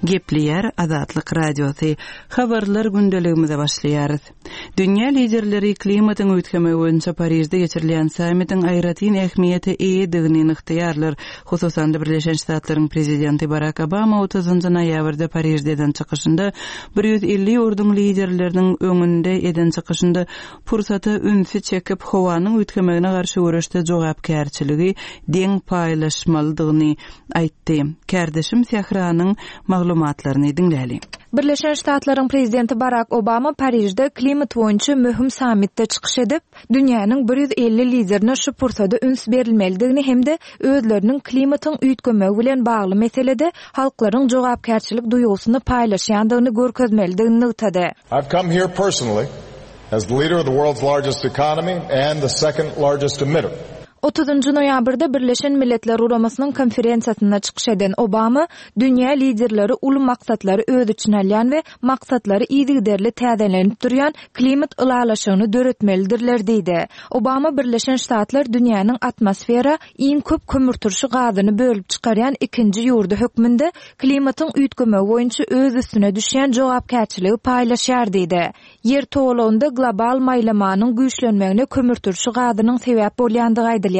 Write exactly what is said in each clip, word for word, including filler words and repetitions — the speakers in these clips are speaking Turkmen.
Gepleýär Azatlyk Radiosy. Habarlar gündeligimize başlaýarys. Dünýä liderleri klimatyň üýtgemegi boýunça Parižde geçirilýän sammitiň aýratyn ähmiýete eýedigini nygtaýarlar. Hususan-da Birleşen Ştatlaryň prezidenti Barak Obama otuzynjy noýabrda Parižde eden çykyşynda bir ýüz elli ýurduň liderleriniň öňünde eden çykyşynda pursata ünsi çekip, howanyň üýtgemegine garşy göreşde jogapkärçiligi deň paýlaşmalydygyny aýtdy. Kärdeşim Sähranyň maglumatlaryny diňläli. Birleşen Ştatlaryň prezidenti Barak Obama Parižde klimat boýunça möhüm sammitde çykyş edip, dünýäniň bir ýüz elli liderine şu pursada üns berilmelidigini hem-de özleriniň klimatyň üýtgemegi bilen bagly meselede halklaryň jogapkärçilik duýgusyny paýlaşýandygyny görkezmelidigini nygtady. I've come here personally as the leader of the world's largest economy and the second largest emitter. Otuzynjy noýabrda Birleşen Milletler Guramasynyň konferensiýasynda çykyş eden Obama dünýä liderleri uly maksatlary öz içine alýan we maksatlary yzygiderli täzelenip durýan klimat ylalaşygyny döretmelidirler diýdi. Obama Birleşen Ştatlar dünýäniň atmosfera iň köp kömürturşy gazyny bölüp çykarýan ikinji ýurdy hökmünde klimatyň üýtgemegi boýunça öz üstüne düşýän jogapkärçiligi paýlaşýar diýdi. Ýer towlagynda global maýlamanyň güýçlenmegine kömürturşy gazynyň sebäp bolýandygy aýdylýar.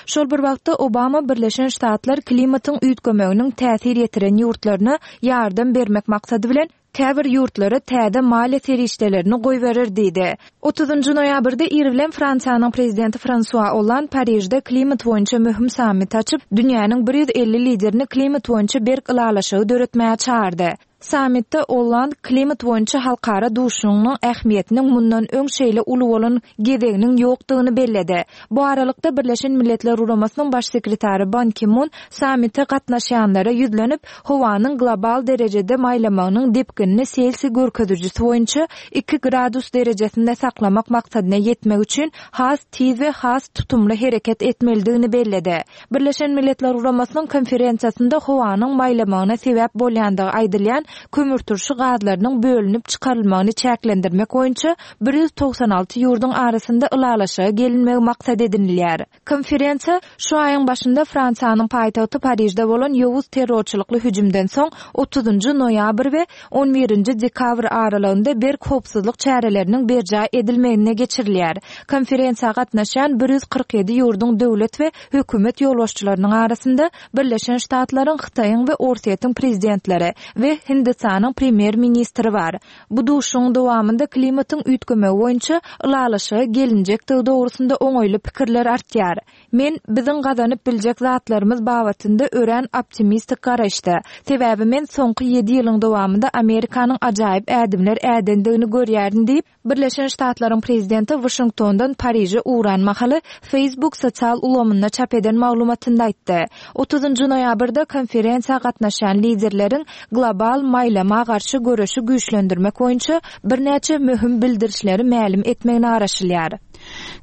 Şol bir wagtda Obama Birleşen Ştatlar klimatyň üýtgemeginiň täsir ýetiren ýurtlaryna ýardam bermek maksady bilen käbir ýurtlara täze maliýe serişdelerini goýberer diýdi. Otuzynjy noýabrda ir bilen Fransiýanyň prezidenti Fransua Olland Parižde klimat boýunça möhüm sammit açyp, dünýäniň bir ýüz elli liderini klimat boýunça berk ylalaşygy döretmäge çağırdy. Sammitde Olland klimat boýunça halkara duşunyň ähmiýetiniň mundan öň şeýle uly bolan gezeginiň ýokdugyny belledi. Bu aralykda Birleşen Milletler Guramasynyň baş sekretary Ban Ki-mun sammite gatnaşýanlara ýüzlenip, howanyň global derejede maýlamagynyň depginini Selsiý görkezijisi boýunça iki gradus derejesinde saklamak maksadyna ýetmek üçin has tiz we has tutumly hereket etmelidigini belledi. Birleşen Milletler Guramasynyň konferensiýasynda howanyň maýlamagyna sebäp bolýandygy aýdylýan kömürturşy gazlarynyň bölünip çykarylmagyny çäklendirmek boýunça bir ýüz togsan alty ýurduň arasynda ylalaşyga gelinmegi maksat edinilýär. Konferensiýa şu aýyň başynda Fransiýanyň paýtagty Parižde bolan ýowuz terrorçylykly hüjümden soň otuzynjy noýabr we on birinji dekabr aralygynda berk howpsuzlyk çäreleriniň berjaý edilmegine geçirilýär. Konferensiýa gatnaşýan bir ýüz kyrk ýedi ýurduň döwlet we hökümet ýolbaşçylarynyň arasynda Birleşen Ştatlaryň, Hytaýyň we Orsýetiň prezidentleri we Hindistanyň premýer-ministri bar. Bu duşuň dowamynda klimatyň üýtgemegi boýunça ylalaşyga gelinjekdigi dogrusynda oňaýly pikirler artýar. Men biziň gazanyp biljek zatlarymyz babatynda örän optimistik garaýyşda. Sebäbi men soňky ýedi ýylyň dowamynda Amerikanyň ajaýyp ädimler ädendigini görýärin diýip, Birleşen Ştatlaryň prezidenti Washingtondan Pariže ugran mahaly Facebook sosial ulgamynda çap eden maglumatynda aýtdy. Otuzynjy noýabrda konferensiýa gatnaşýan liderleriň global maýlama garşy göreşi güýçlendirmek boýunça birnäçe möhüm bildirişleri mälim etmegine garaşylýar.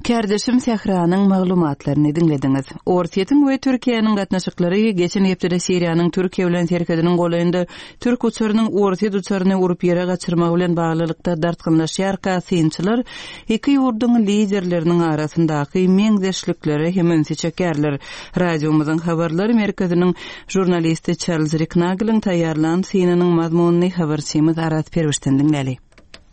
Kärdeşim Sähranyň maglumatlaryny diňlediňiz. Orsýetiň we Türkiýäniň gatnaşyklary geçen hepdede Siriýanyň Türkiýe bilen serhediniň golaýynda türk uçarynyň Orsýet uçaryny urup ýere gaçyrmagy bilen baglylykda dartgynlaşýarka synçylar iki ýurduň liderleriniň arasyndaky meňzeşliklere hem ünsi çekýärler. Radiomyzyň habarlar merkeziniň žurnalisti Charles Riknageliň taýýarlan synynyň mazmunyny habarçymyz Arat Perwişden diňläli.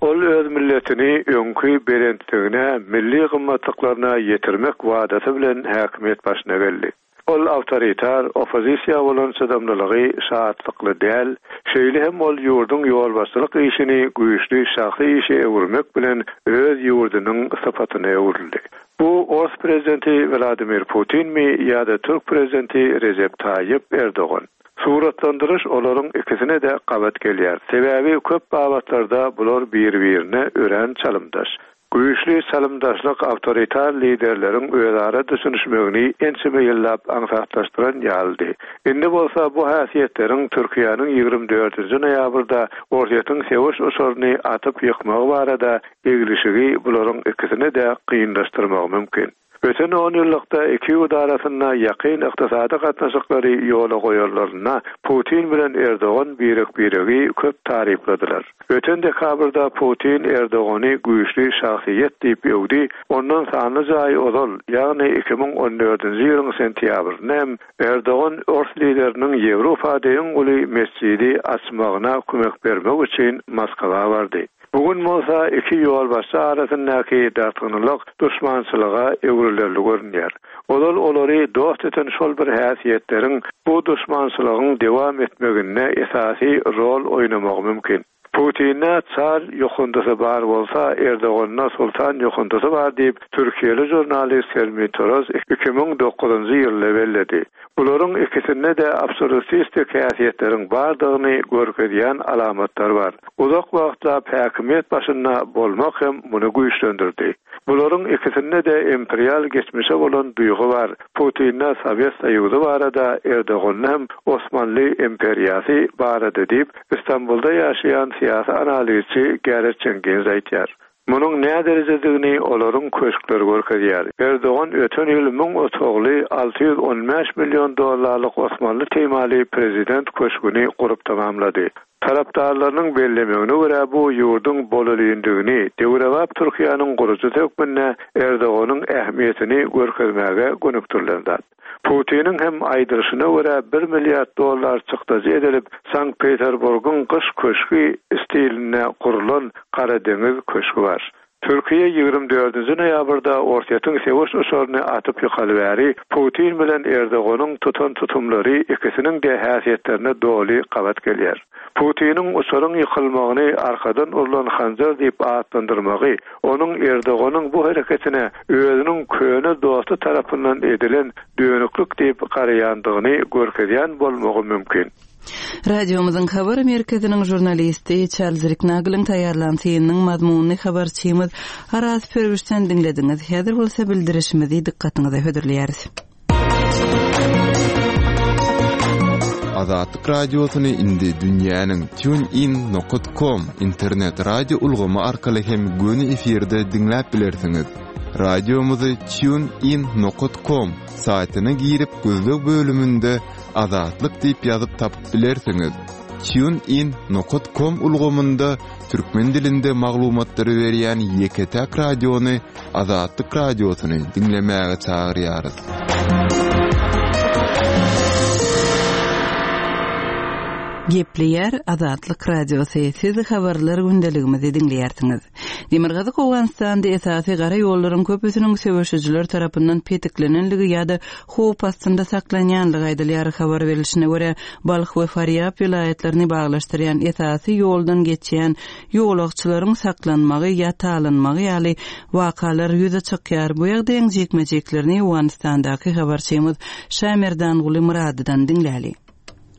Ol öz milletini öňki belentligine, milli gymmatlyklaryna ýetirmek wadasy bilen häkimiýet başyna geldi. Ol awtoritar, oppozisiýa bolan çydamlylygy şatlykly däl, şeýle hem ol ýurduň ýolbaşçylyk işini güýçli şahsy işe öwürmek bilen öz ýurdunyň sypatyna öwrüldi. Bu Ors prezidenti Vladimir Putin mi ýa-da Türk prezidenti Recep Tayyip Erdogan? Suratlandyryş olaryň ikisine de gabat gelýär. Sebäbi köp babatlarda bular bir-birine örän çalymdaş. Güýçli çalymdaşlyk awtoritar liderleriň özara düşünişmegini ençeme ýyllap aňsatlaşdyran ýalydy. Indi bolsa bu häsiýetleriň Türkiýäniň ýigrimi dördünji noýabrda Orsýetiň söweş uçaryny atyp ýykmagy barada eglişigi bularyň ikisine de kynlaşdyrmagy mümkin. Öten on ýyllykda iki ýurt arasynda ýakyn ykdysady gatnaşyklary ýola goýanlarynda Putin bilen Erdogan birek-biregi köp tarypladylar. Öten dekabrda Putin Erdogany güýçli şahsyýet diýip öwdi, ondan sanlyja aý ozal, ýagny iki müň on dördünji ýylyň sentýabrynda hem Erdogan ors lideriniň Ýewropada iň uly mesjidi açmagyna kömek bermek üçin Moskwa bardy. Bugün bolsa iki ýolbaşçy arasyndaky dartgynlyk duşmançylyga öwrülerli görünýär. Ozal olary dost eden şol bir häsiýetleriň bu duşmançylygyň dewam etmeginde esasy rol oýnamagy mümkin. Putin'e çar ýokundysy bar bolsa, Erdogan'a sultan ýokundysy bar diýip, Türkiýeli žurnalist Helmi Toros iki müň dokuzynjy ýylda belledi. Bularyň ikisinde de absolutistik häsiýetleriň bardygyny görkezýän alamatlar bar. Uzak wagtlap häkimiýet başynda bolmak hem muny güýçlendirdi. Bularyň ikisinde de imperial geçmişe bolan duýgy bar. Putin'e Sowet Soýuzy barada, Erdogan'da hem Osmanly imperiýasy barada diýip, İstanbulda ýaşaýan syýasy analizçi Gareth Jenkins aýtýar. Munuň näme derejedigini olaryň köşkleri görkezýär. Erdogan öten ýyl müň otagly alty ýüz on bäş million dollarlyk Osmanly temaly prezident köşgüni gurup tamamlady. Tarapdarlarynyň bellemegine görä bu ýurduň bolulyndygini, döwrebap Türkiýäniň gurujy hökmünde Erdoganyň ähmiýetini görkezmäge gönükdirilen zat. Putiniň hem aýdylyşyna görä bir milliard dollar çykdajy edilip, Sankt Peterburgyň gyş köşgi stilinde gurulan Karadeňiz köşgi bar. Türkiýe ýigrimi dördünji noýabrda Orsýetiň söweş uçaryny atyp ýykaly bäri Putin bilen Erdoganyň tutan tutumlary ikisiniň de häsiýetlerine doly gabat gelýär. Putiniň uçaryň ýykylmagyny arkadan urlan hanjar diýip atlandyrmagy, onuň Erdoganyň bu hereketine özüniň köne dosty tarapyndan edilen dönüklük diýip garaýandygyny görkezýän bolmagy mümkin. Radiomyzyň habar merkeziniň žurnalisti Charles Ricknagel'in taýýarlan synynyň mazmunyny habarçymyz Araz Pürwüşden diňlediňiz. Häzir bolsa bildirişimizi dykgatyňyza hödürleýäris. Azatlyk radiosyny indi dünýäniň tunein nokta com internet radio ulgamy arkaly hem göni efirde diňläp bilersiňiz. Radiomyzy tunein nokta com saýtyna girip gözleg bölüminde Azatlyk diýip ýazyp tapyp bilersiňiz. Tunein nokta com ulgamynda türkmen dilinde maglumatlary berýän ýeke-täk radiony Azatlyk radiosyny diňlemäge çagyrýarys. Gepleýär Azatlyk Radiosy. Siz habarlar gündeligimizi diňleýärsiňiz. Demirgazyk Owganystanda esasy gara ýollaryň köpüsiniň söweşijiler tarapyndan petiklenenligi ýa-da howp astynda saklanýanlygy aýdylýar. Habar berilişine görä, Balh we Farýab welaýatlaryny baglaşdyrýan esasy ýoldan geçýän ýolagçylaryň saklanmagy ýa talanmagy ýaly wakalar ýüze çykýar. Bu ýagdaýyň jikme-jiklerini Owganystandaky habarçymyz Şamerdanguly Myradydan diňläli.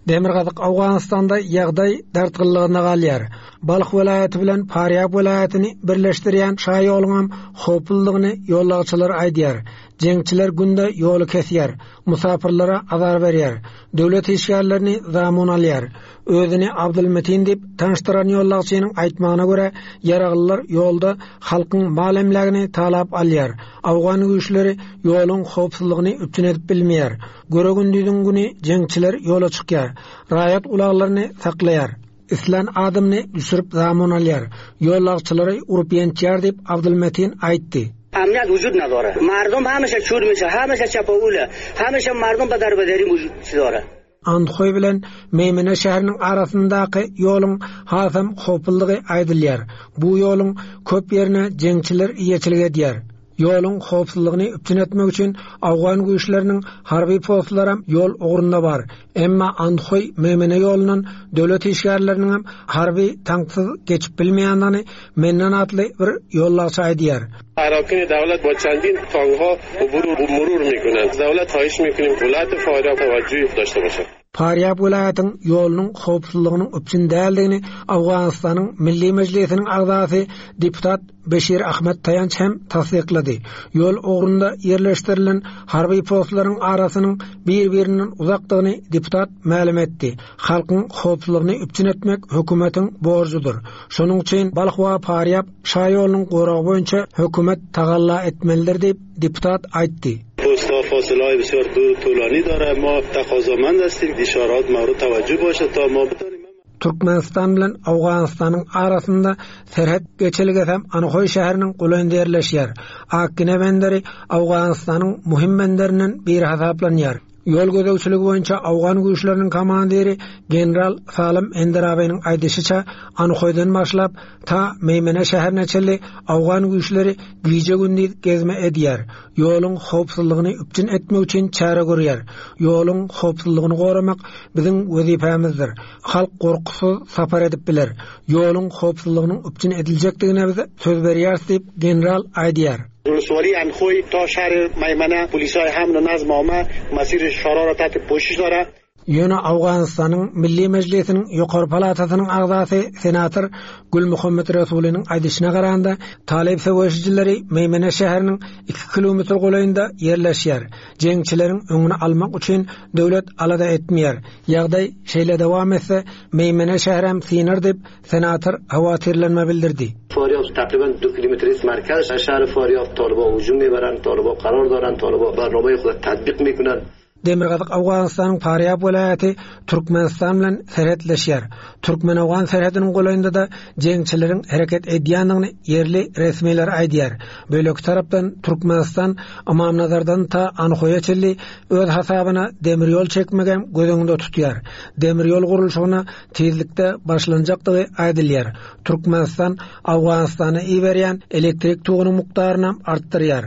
Demirgazyk Owganystanda ýagdaý dartgynlygyna galýar. Balh welaýaty bilen Farýab welaýatyny birleşdirýän şaýoluň howplulygyny ýolagçylar aýdýar. Jeňçiler günde ýoly kesýär, musafirlere azar berýär, döwlet işgärlerini zamun alýar. Özüni Abdulmetin diýip tanyşdyran ýolagçynyň aýtmagyna görä, ýaraglylar ýolda halkyň mal emlägini talap alýar. Awgan güýçleri ýoluň howpsuzlygyny üpjün edip bilmeýär. Göre gündüziň güni jeňçiler ýola çykýar, raýat ulaglaryny saklaýar. Islan adamyny düşürip zamun alýar. Ýolagçylary urup ýençýär diýip Abdulmetin aýtdy. امنیت وجود نداره. مردم همیشه چور میشه، همیشه چپاوله، همیشه مردم به دربدری وجود داره. Andhoý bilen Meymene şäheriniň arasyndaky ýoluň hasam howplulygy aýdylýar. Bu ýoluň köp ýerine jeňçiler eýeçilik edýär. Ýoluň howpsuzlygyny üpjün etmek üçin Awgan güýçleriniň harby postlary ýol ugrunda bar. Emma Andhoý Meymene ýolundan döwlet işgärleriniň hem harby tanksyz geçip bilmeýändigini Menden atly bir ýolagçy aýdýar. اراکین دولت با چندین تانک‌ها عبور و مرور می‌کنند. دولت خواهش می‌کنیم ولایت فاریاب توجهی داشته باشد. Farýab welaýatyň ýolunyň howpsuzlygynyň üpjün däldigini Owganystanyň Milli Mejlisiniň agzasy deputat Beşir Ahmet Taýanç hem tassyklady. Ýol ugrunda ýerleşdirilen harby postlaryň arasynyň bir-birinden uzakdygyny deputat mälim etdi. Halkyň howpsuzlygyny üpjün etmek hökümetiň borjudyr. Şonuň üçin Balh we Farýab şaýolunyň goragy boýunça hökümet tagalla etmelidir diýip deputat aýtdy. پست‌ها فاصله های بسیار دور و طولانی داره ما تقاضامند هستیم اشارات مورد توجه باشه تا ما بتانیم Türkmenistan bilen Owganystanyň arasynda serhet geçelgesi hem Anhoý şäheriniň golaýynda ýerleşýär. Akgine benderi Owganystanyň muhim benderinden biri hasaplanýar. Ýol gözegçiligi boýunça Owgan güýçleriniň komandiri general Salim Enderabynyň aýdyşyça Anhoýdan başlap ta Meýmene şäherine çenli Owgan güýçleri gije-gündiz gezme edýär. Ýoluň howpsuzlygyny üpjün etmek üçin çäre görýär. Ýoluň howpsuzlygyny goramak biziň wezipämizdir. Halk gorkusyz sapar edip biler. Ýoluň howpsuzlygynyň üpjün ediljekdigine biz söz berýäris diýip general aýdýar. ولسوالی انخوی تا شهر میمنه پلیسای حمل و نظم عامه مسیر شارا را تحت پوشش داره. Ýöne Owganystanyň Milli Mejlisiniň ýokary palatasynyň agzasy senator Gülmuhammet Resulynyň aýdyşyna garanda Talyp söweşijileri Meýmene şäheriniň iki kilometr golaýynda ýerleşýär. Jeňçileriň öňüni almak üçin döwlet alada etmeýär. Ýagdaý şeýle dowam etse Meýmene şäherem synar diýip senator hawatirlenme bildirdi. فاریاب تقریبا دو کیلومتر است مرکز شهر فاریاب طالبا هجوم میبرند، طالبا قرار دارند، طالبا برنامه خود تطبیق میکنند. Demirgazyk Owganystanyň Farýab welaýaty Türkmenistan bilen serhetleşýär. Türkmen-Owgan serhediniň golaýynda da jeňçileriň hereket edýändigini ýerli resmiler aýdýar. Bölek tarapdan Türkmenistan Ymamnazardan ta Anhoýa çenli öz hasabyna demir ýol çekmegem göz öňünde tutýar. Demir ýol gurluşygyna tizlikde başlanjakdygy aýdylýar. Türkmenistan Owganystana iberýän elektrik togunyň mukdaryny artdyrýar.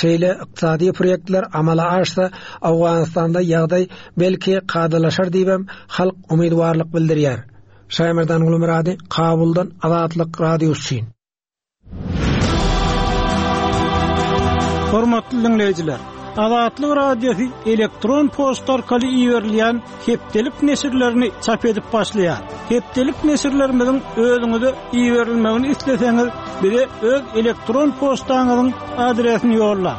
Şeýle ykdysady proýektler amala aşsa Owganystanda ýagdaý belki kadalaşar diýibem halk umytwarlyk bildirýär. Şaýmerdan Gulmyrady, Kabuldan Azatlyk Radiosy üçin. Hormatly dinleýjiler, Azatlyk Radiosy elektron poçta arkaly iberilýän hepdelik neşirlerini çap edip başlaýar. Hepdelik neşirlerimiziň özüňize iberilmegini isleseňiz, bize öz elektron poçtaňyzyň adresini ýolla.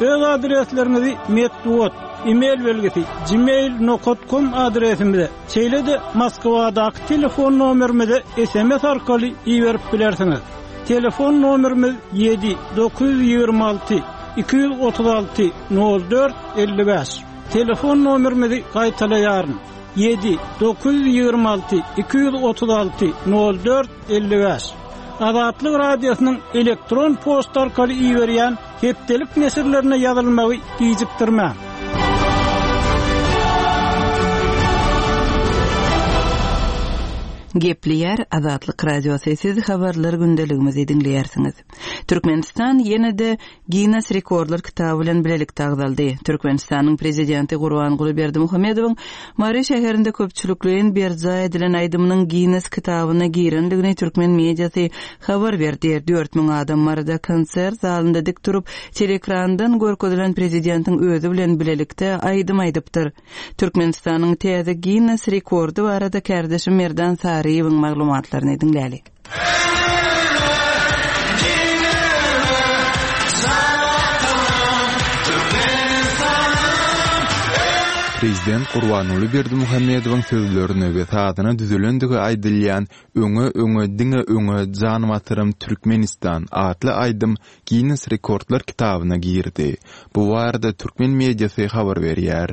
Öz adresleriňizi metbugat, e-mail belgisi gmail nokta com adresimize, şeýle-de Moskwadaky telefon nomerimize S M S arkaly iberip bilersiňiz. Telefon nomerimiz ýedi dokuz ýigrimi alty iki ýüz otuz alty nol dört elli bäş. Telefon nomerimizi gaýtalaýaryn. Ýedi dokuz ýigrimi alty iki ýüz otuz alty nol dört elli bäş. Azatlyk Radiosynyň elektron poçta arkaly iberýän hepdelik neşirlerine ýazylmagy gijikdirmäň. Gepleýär Azatlyk Radiosy, siz habarlar gündeligimizi diňleýärsiňiz. Türkmenistan ýene-de Guinness Rekordlar kitaby bilen bilelikde agzaldy. Türkmenistanyň prezidenti Gurbanguly Berdimuhamedowyň Mary şäherinde köpçülikleýin berjaý edilen aýdymynyň Guinness kitabyna girendigini türkmen mediasy habar berdi. Dört müň adam Maryda konsert zalynda dik durup, telekrandan görkezilen prezidentiň özi bilen bilelikde aýdym aýdypdyr. Türkmenistanyň täze Guinness rekordy barada kardeşim Merdan Saryýewiň maglumatlaryny diňlälik. Prezident Gurbanguly Berdimuhamedowyň sözlerine we sazyna düzülendigi aýdylýan Öňe öňe diňe öňe jan batyrym Türkmenistan atly aýdym Guinness Rekordlar kitabyna girdi. Bu barada türkmen mediasy habar berýär.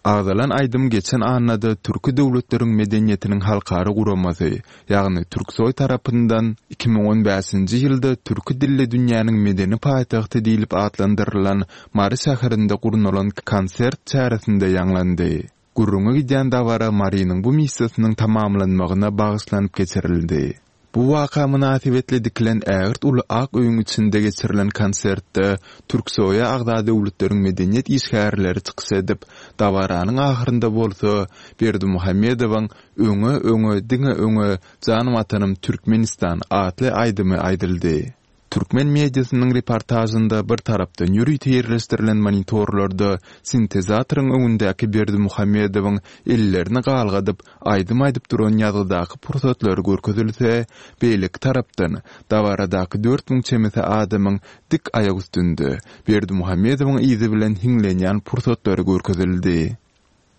Agzalan aýdym geçen annada Türki döwletleriň medeniýetiniň halkara guramasy, ýagny Türksoý tarapyndan iki müň on bäşinji ýylda Türki dilli dünýäniň medeni paýtagty diýlip atlandyrylan Mary şäherinde gurnalan konsert çäresinde ýaňlandy. Gürrüňe gidýän dabara Marynyň bu missiýasynyň tamamlanmagyna bagyşlanyp geçirildi. Bu waka mynasybetli dikilen ägirt uly ak öýüň içinde geçirilen konsertde Türksoýa agza döwletleriň medeniýet işgärleri çykyş edip, dabaranyň ahyrynda bolsa Berdimuhamedowyň Öňe öňe diňe öňe jan watanym Türkmenistan atly aýdymy aýdyldy. Türkmen mediasynyň reportažynda bir tarapdan ýörite ýerleşdirilen monitorlarda sintezatoryň öňündäki Berdimuhamedowyň ellerini galgadyp, aýdym aýdyp duran ýazgydaky pursatlary görkezilse, beýleki tarapdan dabaradaky dört müň çemesi adamyň dik aýak üstünde Berdimuhamedowyň yzy bilen hiňlenýän pursatlary görkezildi.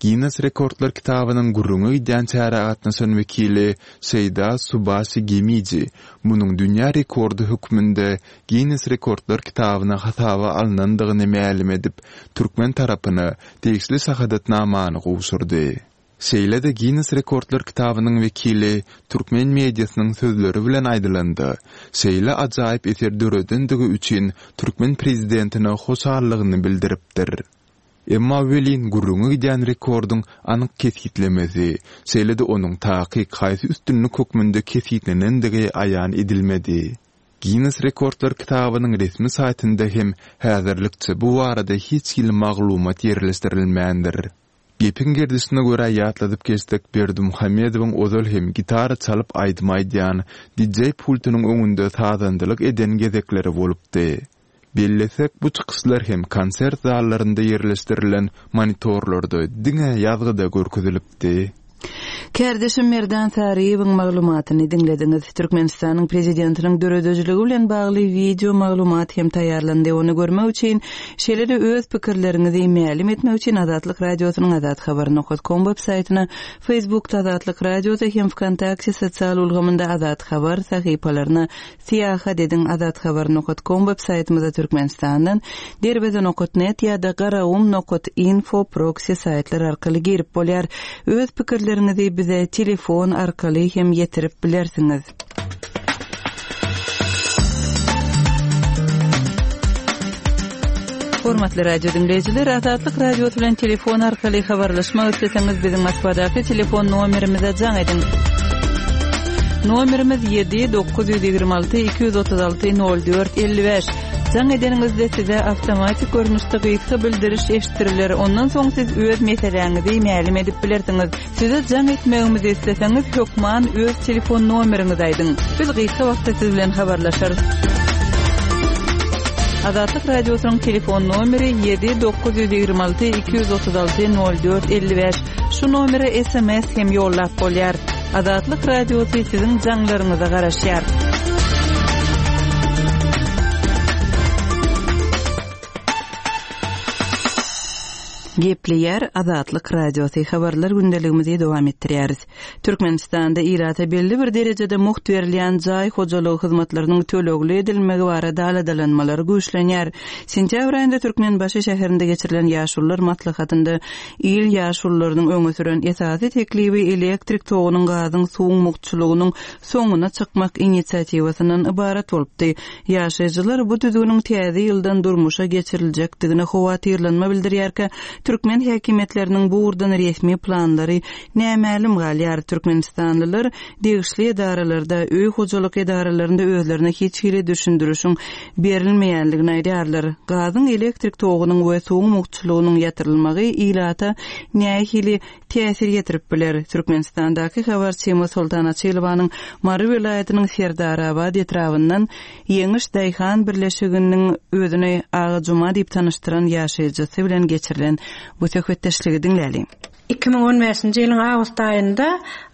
Ginnes rekordlar kitabynyň gürrüňe gidýän çärä gatnaşan wekili Şeýda Subaşi Gemiji munuň dünýä rekordy hökmünde Ginnes rekordlar kitabyna hasaba alnandygyny mälim edip, türkmen tarapyna degişli şahadatnamany gowşurdy. Şeýle-de Ginnes rekordlar kitabynyň wekili türkmen mediasynyň sözleri bilen aýdylanda, şeýle ajaýyp eser döredendigi üçin türkmen prezidentine hoşallygyny bildiripdir. Emma welin gürrüňe gidýän rekordyň anyk kesgitlemesi, şeýle-de onuň takyk haýsy üstünlik hökmünde kesgitlenendigi aýan edilmedi. Ginnes rekordlar kitabynyň resmi saýtynda hem häzirlikçe bu barada hiç hili maglumat ýerleşdirilmändir. Gepiň gerdişine görä ýatladyp geçsek, Berdimuhamedowyň ozal hem gitara çalyp aýdym aýdýan, D J pultunyň öňünde sazandylyk eden gezekleri bolupdy. Bellesek, bu çykyşlar hem konsert zallarynda ýerleşdirilen monitorlarda diňe ýazgyda görkezilipdi. Kärdeşim Merdan Saryýewiň maglumatyny diňlediňiz. Türkmenistanyň prezidentiniň döredijiligi bilen bagly wideo maglumat hem taýýarlandy. Ony görmek üçin, şeýle-de öz pikirleriňizi mälim etmek üçin Azatlyk Radiosynyň azathabar nokta com web saýtyna, Facebookda Azatlyk Radiosy hem VKontakte sosial ulgamynda Azat Habar sahypalaryna syýahat ediň. Azathabar nokta com web saýtymyza Türkmenistandan derweze nokta net ýa-da garagum nokta info proxy saýtlar arkaly girip bolýar. Öz pikirleriňizi bize telefon arkaly hem ýetirip bilersiňiz. Hormatly radio diňleýjiler, Azatlyk Radiosy bilen telefon arkaly habarlaşmak isleseňiz biziň Moskwadaky telefon nomerimize jaň ediň. Nomerimiz ýedi dokuz ýüz ýigrimi alty iki ýüz otuz alty nol dört elli bäş. Jaň edeniňizde size awtomatik görnüşde gysga bildiriş eşitdiriler. Ondan soň siz öz meseläňizi mälim edip bilersiňiz. Size jaň etmegimizi isleseňiz hökman öz telefon nomeriňizi aýdyň. Biz gysga wagtda siz bilen habarlaşarys. Azatlyk Radiosynyň telefon nomeri ýedi dokuz ýüz ýigrimi alty iki ýüz otuz alty nol dört elli bäş. Şu nomere S M S hem ýollap bolýar. Azatlyk Radiosy siziň jaňlaryňyza garaşýar. Gepleýär Azatlyk Radiosy, habarlar gündeligimizi dowam etdirýäris. Türkmenistanda ilata belli bir derejede mugt berilýän jaý hojalygy hyzmatlarynyň tölegli edilmegi barada aladalanmalar güýçlenýär. Sentýabr aýynda Türkmenbaşy şäherinde geçirilen ýaşulular maslahatynda il ýaşulularynyň öňe süren esasy teklibi elektrik togunyň, gazyň, suwuň mugtçulygynyň soňuna çykmak inisiatiwasyndan ybarat bolupdy. Ýaşaýjylar bu düzgüniň täze ýyldan durmuşa geçiriljekdigine howatyrlanma bildirýärkä, türkmen häkimiýetleriniň bu ugurdan resmi planlary nämälim galýar. Türkmenistanlylar degişli edaralarda, öý hojalyk edaralarynda özlerine hiç hili düşündirişiň berilmeýänligini aýdýarlar. Gazyň, elektrik togunyň we suwuň mugtçulygynyň ýatyrylmagy ilata nähili täsir ýetirip biler? Türkmenistandaky habarçymyz Soltan Açylowanyň Mary welaýatynyň Serdarabad etrabyndan Ýeňiş Daýhan birleşiginiň özüni Aga Juma diýip tanyşdyran ýaşaýjysy bilen geçirilen bu söhbetdeşligi diňläliň. iki müň on bäşinji ýylyň awgust aýynda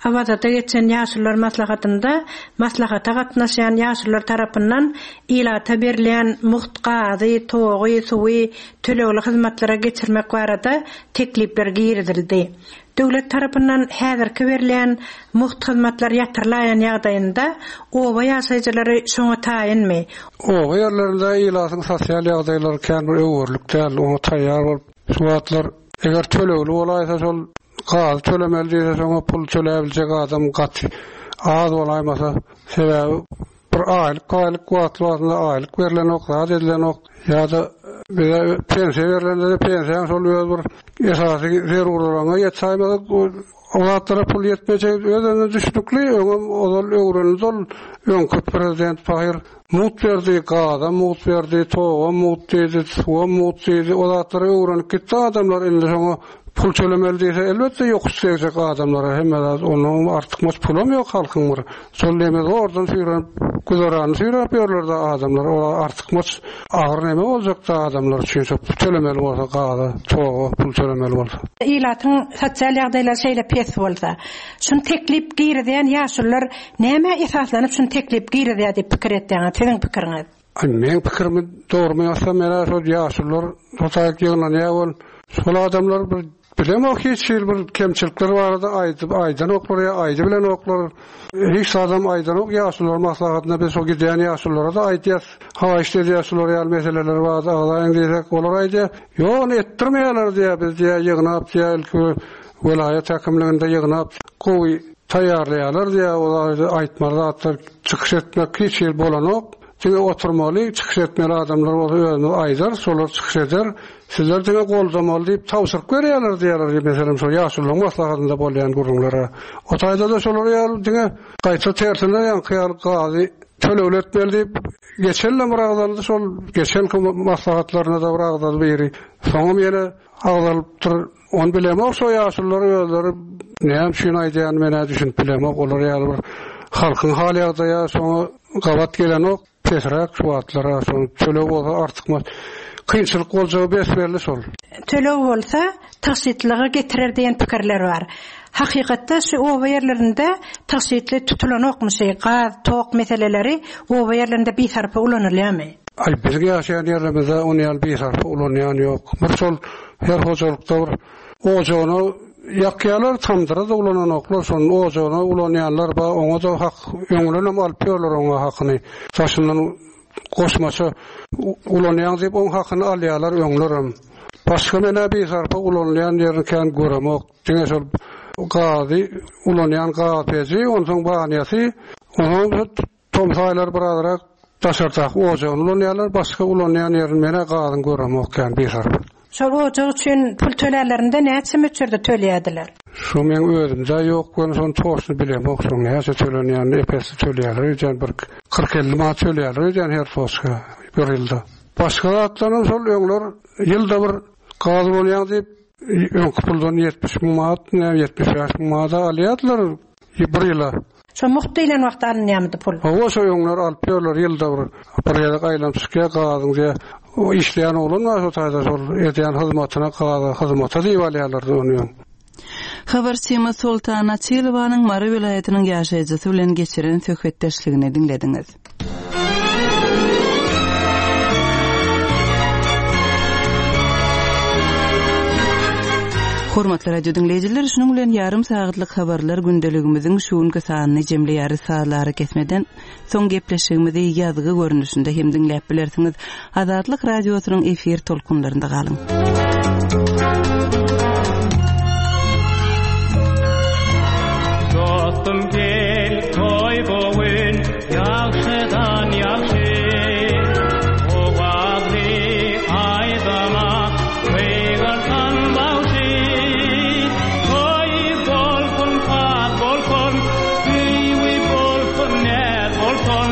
Awazada geçen ýaşulular maslahatynda maslahata gatnaşan ýaşulular tarapyndan ilata berilýän mugt gazy, togy, suwy tölegli hyzmatlara geçirmek barada teklipler girizildi. Döwlet tarapyndan häzirki berilýän mugt hyzmatlar ýatyrylaýan ýagdaýynda oba ýaşaýjylary şoňa taýynmy? Oba ýerlerinde ilatyň sosial ýagdaýlary kän bir öwürlik däl, oňa taýýar bolup, şu wagtlar eger tölegli bolaýsa, şol gaz tölemeli diýse, şoňa pul töläbiljek adam gaty az bolaýmasa, sebäbi bir aýlyk aýlyk wagtly wagtynda aýlyk berilenok, zat edilenok ýa-da bize pensiýa berilende de pensiýaň şol öz bir esasy zerurlygyna ýetsäýmez, o zatlara pul ýetmejek öz-özüne düşnükli, öňem ozal öwrenildi ol öňki prezident pahyr mugt berdi, gaza mugt berdi, toga mugt diýdi, suwa mugt diýdi, o zatlara öwrenip gitdi adamlar, indi şoňa pul tölemeli diýse, elbetde ýokuş degecek adamlara, hemme zat, onuň artykmaç pulam ýok halkyň bir. Şol neme zordan süýrenip Güzerany süýräp ýörler-de adamlar. Olar artykmaç agyr neme boljak-da adamlar üçin şo tölemeli bolsa gaza, toga pul tölemeli bolsa. Ilatyň sosial ýagdaýlary şeýle pes bolsa, şuny teklip girizýän ýaşulular nämä esaslanyp şuny teklip girizýär diýip pikir etýäňiz, siziň pikiriňiz? Aý, meň pikirimi dogrymy aýtsam, men-ä şol ýaşulular şo taýyk ýygnanýar bol. Şol adamlar bir bilemok hiç hili bir kemçilikler barada aýdyp aýdanoklar ýa aýdy bilenoklar. Hiç adam aýdanok ýaşulular maslahatynda biz şo gidýän ýaşululara-da aýdýas. Haýyşt edýär şular ýaly meseleler barada agzaýyň diýsek, olar aýdýar, ýok, ony etdirmeýärler diýýär, biz diýýär, ýygnap diýýär, ilki welaýat häkimliginde ýygnap gowy taýýarlaýarlar diýýär, olar aýtmaly zatlar çykyş etmek hiç hili bolanok. Diňe oturmaly, çykyş etmeli adamlar bolsa özümiz aýdar, şolar çykyş eder. Sizler diňe goldamaly diýip tabşyryk berýärler diýýärler, meselem, şo ýaşululyň maslahatynda bolýan gürrüňlere. O taýda-da şolar ýaly diňe gaýta tersine ýaňky ýaly gazy tölegli etmeli diýip, geçen bir agzaldy, şol geçenki maslahatlaryna-da bir agzaldy biri. Soňam ýene agzalypdyr. Ony bilemok, şo ýaşulular özleri näme üçin aýdýan men-ä düşünip bilemok. Olar ýaly bir halkyň hal ýagdaýy şoňa gabat gelenok. Pesräk şu wagtlara şol töleg bolsa artykmaç kynçylyk boljagy besbelli şol. Töleg bolsa tagşytlyga getirer diýen pikirler bar. Hakykatda şu oba ýerlerinde tagşytly tutulanokmyş, gaz, tok meseleleri oba ýerlerinde bisarpa ulanylýarmy? Aý, biz ýaşaýan ýerlerimizde ony ýaly bisarpa ulanýan ýok. Bir şol her hojalykda bir ojagyny ýakýarlar, tamdyra da ulananoklar, şonuň ojagyny ulanýanlar bar, oňa da hak, öňünden alyp ýörler oňa hakyny. Daşyndan goşmaça ulanýan diýip oň hakyny alýarlar öňlerem. Başga menä bisarpa ulanylýan ýerini kän göremok. Diňe şol gazy ulanýan gaz peji, onsoň banýasy, onsoň tomsaýlar birazrak daşardaky ojagyny ulanýarlar, başga ulanýan ýerini menä gazyň göremok kän bisarpa. Şol ojak üçin pul töleýärlerinde näçe möçberde töleýärdiler? Şu men özümde ýok, men şony toşny bilemok, şoň näçe tölenýänini epesi töleýärler, öýdýän bir kyrk elli manat töleýärler öýdýän her toşka bir ýylda. Başga zatlaryň şol öňler ýylda bir gaz ulanýan diýip, öňki puldan ýetmiş müň manat, näme ýetmiş bäş müň manat alýardylar bir ýyla. Şo mugt diýlen wagtda alynýarmydy pul? Hawa, şo öňler alyp ýörler ýylda bir, bir gezek aýlanyp çykýar gazyň diýe. O işleýän oglan bar şo taýda şol edýän hyzmatyna gaza hyzmata diýip alýarlardy ony öň. Habarçymyz Soltan Açylowanyň Mary welaýatynyň ýaşaýjysy bilen geçiren söhbetdeşligini diňlediňiz. Hormatly radio diňleýjiler, şunuň bilen ýarym sagatlyk habarlar gündeligimiziň şu günki sanyny jemleýäris. Sazlary kesmeden soň gepleşigimizi ýazgy görnüşinde hem diňläp bilersiňiz. Azatlyk radiosynyň efir tolkunlarynda galyň. Dostum gel toý bu gün, ýagşydan ýagşy. Owazly aýdama gygyrsan bagşy. Toý bolsun, saz bolsun, söýgi bolsun, näz bolsun.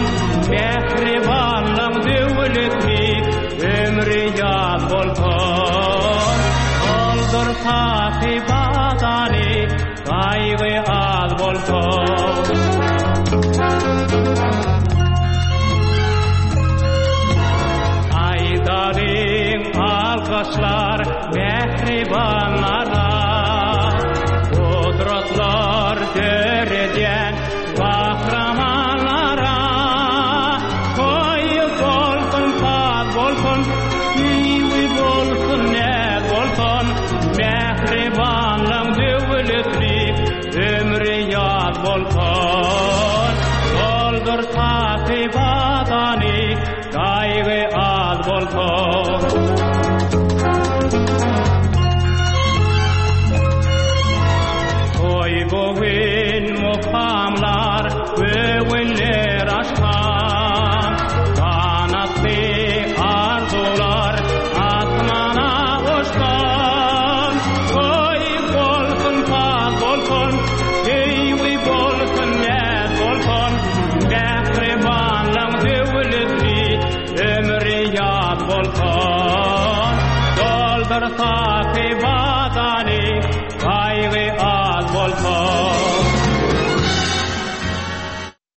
Mähribanlaň döwletli ömri ýaz bolsun. Oldur sahy badany, gaýgy az bolsun.